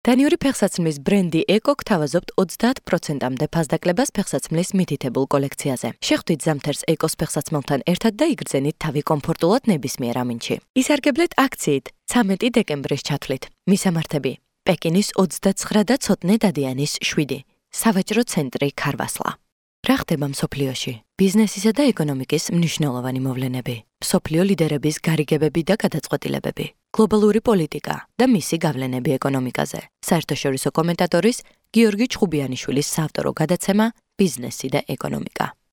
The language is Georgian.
დანიური ფეხსაცმლის ბრენდი ეკო გთავაზობთ 30%-მდე ფასდაკლებას ფეხსაცმლის მითითებულ კოლექციაზე. შეხვდით ზამთარს ეკოს ფეხსაცმელთან ერთად და იგრძენით თავი კომფორტულად ნებისმიერ ამინდში. ისარგებლეთ აქციით 13 დეკემბრის ჩათვლით. მისამართები: პეკინის 29 და ცოტნე დადიანის 7, სავაჭრო ცენტრი ქარვასლა. რა ხდება მსოფლიოში? ბიზნესისა და ეკონომიკის მნიშვნელოვანი მოვლენები, მსოფლიო ლიდერების გარიგებები და გადაწყვეტილებები, გლობალური პოლიტიკა და მისი გავლენები ეკონომიკაზე. საერთაშორისო კომენტატორის გიორგი ჩხუბიანიშვილის საავტორო გადაცემა „ბიზნესი და ეკონომიკა“.